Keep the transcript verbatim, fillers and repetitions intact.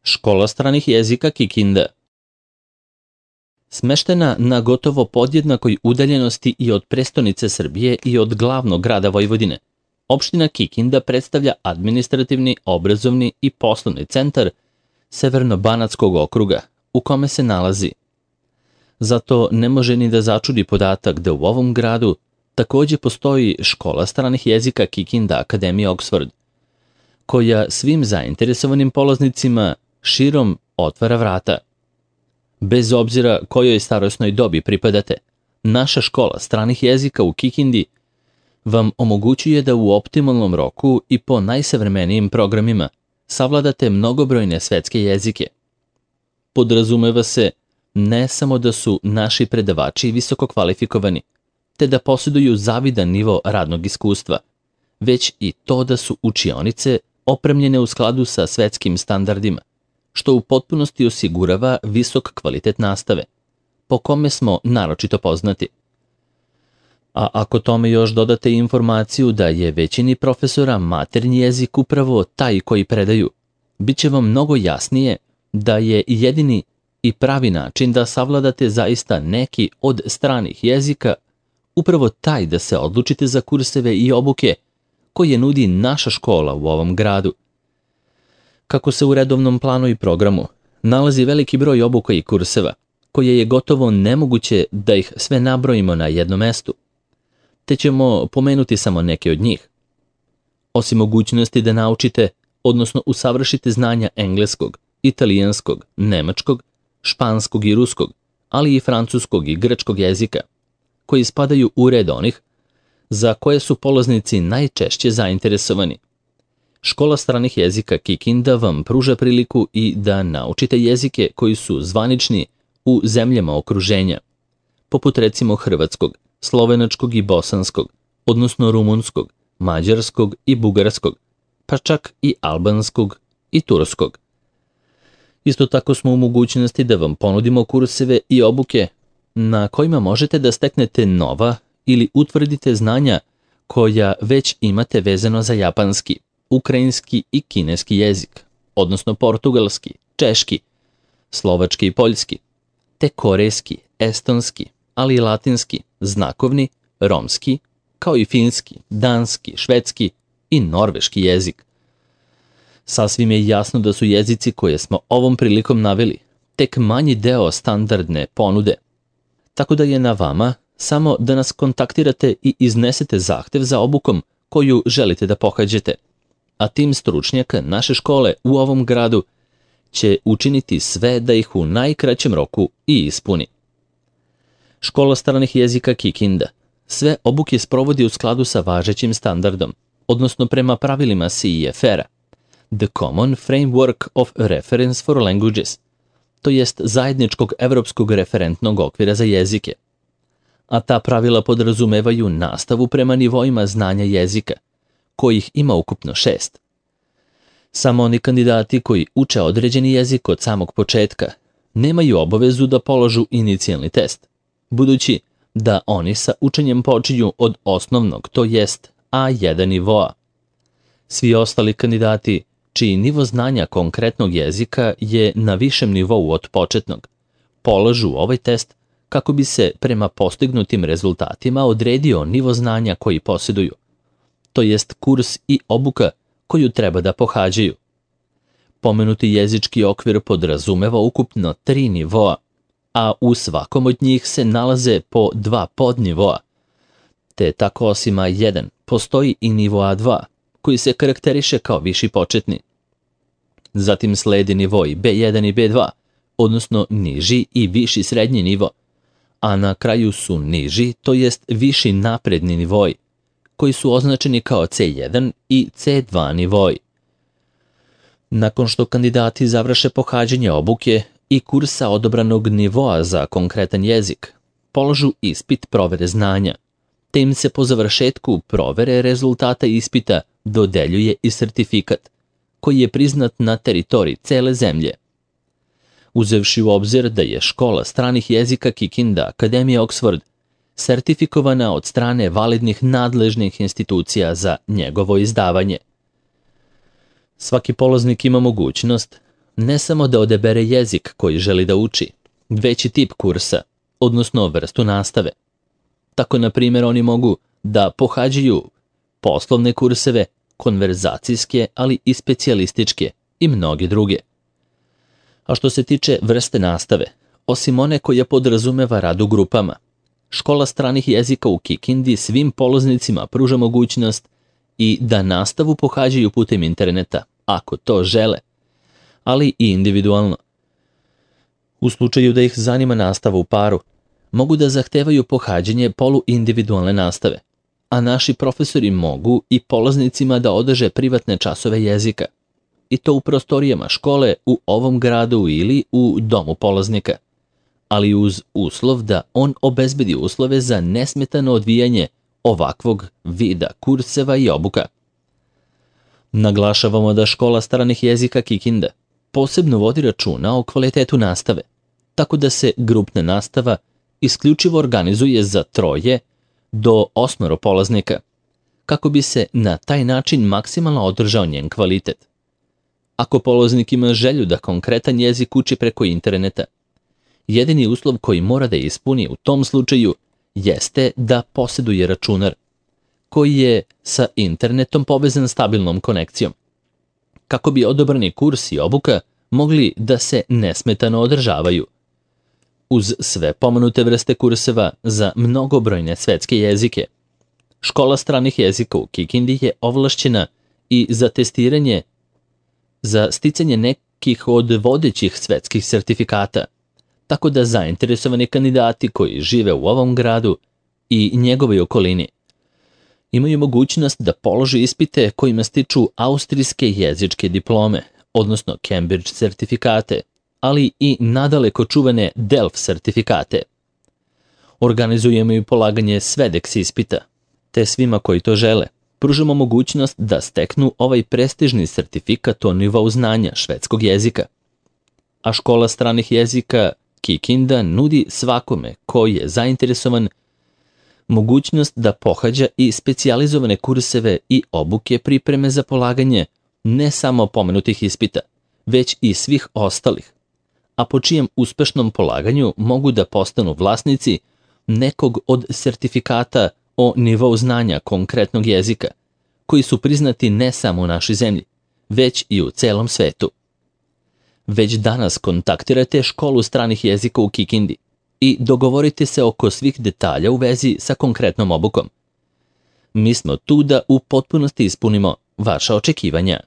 Škola stranih jezika Kikinda. Smeštena na gotovo podjednakoj udaljenosti i od prestonice Srbije i od glavnog grada Vojvodine, opština Kikinda predstavlja administrativni, obrazovni i poslovni centar Severno-banatskog okruga u kome se nalazi. Zato ne može ni da začudi podatak da u ovom gradu takođe postoji škola stranih jezika Kikinda Akademija Oxford, koja svim zainteresovanim polaznicima širom otvara vrata. Bez obzira kojoj starosnoj dobi pripadate, naša škola stranih jezika u Kikindi vam omogućuje da u optimalnom roku i po najsavremenijim programima savladate mnogobrojne svetske jezike. Podrazumeva se ne samo da su naši predavači visoko kvalifikovani, te da posjeduju zavidan nivo radnog iskustva, već i to da su učionice opremljene u skladu sa svetskim standardima, što u potpunosti osigurava visok kvalitet nastave, po kome smo naročito poznati. A ako tome još dodate informaciju da je većini profesora maternji jezik upravo taj koji predaju, bit će vam mnogo jasnije da je jedini i pravi način da savladate zaista neki od stranih jezika upravo taj da se odlučite za kurseve i obuke koje nudi naša škola u ovom gradu. Kako se u redovnom planu i programu nalazi veliki broj obuka i kurseva, koje je gotovo nemoguće da ih sve nabrojimo na jednom mestu, te ćemo pomenuti samo neke od njih. Osim mogućnosti da naučite, odnosno usavršite znanja engleskog, italijanskog, nemačkog, španskog i ruskog, ali i francuskog i grčkog jezika, koji spadaju u red onih za koje su polaznici najčešće zainteresovani. Škola stranih jezika Kikinda vam pruža priliku i da naučite jezike koji su zvanični u zemljama okruženja, poput recimo hrvatskog, slovenačkog i bosanskog, odnosno rumunskog, mađarskog i bugarskog, pa čak i albanskog i turskog. Isto tako smo u mogućnosti da vam ponudimo kurseve i obuke na kojima možete da steknete nova ili utvrdite znanja koja već imate vezano za japanski, ukrajinski i kineski jezik, odnosno portugalski, češki, slovački i poljski, te korejski, estonski, ali i latinski, znakovni, romski, kao i finski, danski, švedski i norveški jezik. Sasvim je jasno da su jezici koje smo ovom prilikom naveli tek manji deo standardne ponude, tako da je na vama samo da nas kontaktirate i iznesete zahtev za obukom koju želite da pohađate, a tim stručnjaka naše škole u ovom gradu će učiniti sve da ih u najkraćem roku i ispuni. Škola stranih jezika Kikinda sve obuke sprovodi u skladu sa važećim standardom, odnosno prema pravilima C E F R-a, The Common Framework of Reference for Languages, to jest zajedničkog evropskog referentnog okvira za jezike. A ta pravila podrazumevaju nastavu prema nivoima znanja jezika, kojih ima ukupno šest. Samo oni kandidati koji uče određeni jezik od samog početka nemaju obavezu da položu inicijalni test, budući da oni sa učenjem počinju od osnovnog, to jest A jedan nivoa. Svi ostali kandidati čiji nivo znanja konkretnog jezika je na višem nivou od početnog, polažu ovaj test kako bi se prema postignutim rezultatima odredio nivo znanja koji posjeduju, to jest kurs i obuka koju treba da pohađaju. Pomenuti jezički okvir podrazumeva ukupno tri nivoa, a u svakom od njih se nalaze po dva podnivoa, te tako osim A jedan postoji i nivo A dva, koji se karakteriše kao viši početni. Zatim sledi nivoi B jedan i B dva, odnosno niži i viši srednji nivo, a na kraju su niži, to jest viši napredni nivoi, koji su označeni kao C jedan i C dva nivoi. Nakon što kandidati završe pohađanje obuke i kursa odobranog nivoa za konkretan jezik, polažu ispit provere znanja, te im se po završetku provere rezultata ispita dodeljuje i sertifikat, koji je priznat na teritoriji cele zemlje. Uzevši u obzir da je škola stranih jezika Kikinda Akademija Oxford sertifikovana od strane validnih nadležnih institucija za njegovo izdavanje. Svaki polaznik ima mogućnost, ne samo da odebere jezik koji želi da uči, već i tip kursa, odnosno vrstu nastave. Tako, na primjer, oni mogu da pohađaju poslovne kurseve, konverzacijske, ali i specijalističke i mnoge druge. A što se tiče vrste nastave, osim one koja podrazumeva rad u grupama, škola stranih jezika u Kikindi svim polaznicima pruža mogućnost i da nastavu pohađaju putem interneta, ako to žele, ali i individualno. U slučaju da ih zanima nastava u paru, mogu da zahtevaju pohađanje poluindividualne nastave, a naši profesori mogu i polaznicima da održe privatne časove jezika, i to u prostorijama škole u ovom gradu ili u domu polaznika, ali uz uslov da on obezbedi uslove za nesmetano odvijanje ovakvog vida kurseva i obuka. Naglašavamo da škola stranih jezika Kikinda posebno vodi računa o kvalitetu nastave, tako da se grupna nastava isključivo organizuje za troje do osmoro polaznika, kako bi se na taj način maksimalno održao njen kvalitet. Ako polaznik ima želju da konkretan jezik uči preko interneta, jedini uslov koji mora da ispuni u tom slučaju jeste da posjeduje računar, koji je sa internetom povezan stabilnom konekcijom, kako bi odabrani kurs i obuka mogli da se nesmetano održavaju. Uz sve pomenute vrste kurseva za mnogobrojne svetske jezike, škola stranih jezika u Kikindi je ovlašćena i za testiranje za sticanje nekih od vodećih svetskih sertifikata, tako da zainteresovani kandidati koji žive u ovom gradu i njegovoj okolini imaju mogućnost da polože ispite kojima stiču austrijske jezičke diplome, odnosno Cambridge sertifikate, ali i nadaleko čuvene Delft sertifikate. Organizujemo i polaganje SVEDEX ispita, te svima koji to žele pružamo mogućnost da steknu ovaj prestižni sertifikat o nivou znanja švedskog jezika. A škola stranih jezika Kikinda nudi svakome koji je zainteresovan mogućnost da pohađa i specijalizovane kurseve i obuke pripreme za polaganje ne samo pomenutih ispita, već i svih ostalih, a po čijem uspešnom polaganju mogu da postanu vlasnici nekog od sertifikata o nivou znanja konkretnog jezika, koji su priznati ne samo u našoj zemlji, već i u celom svetu. Već danas kontaktirajte školu stranih jezika u Kikindi i dogovorite se oko svih detalja u vezi sa konkretnom obukom. Mi smo tu da u potpunosti ispunimo vaša očekivanja.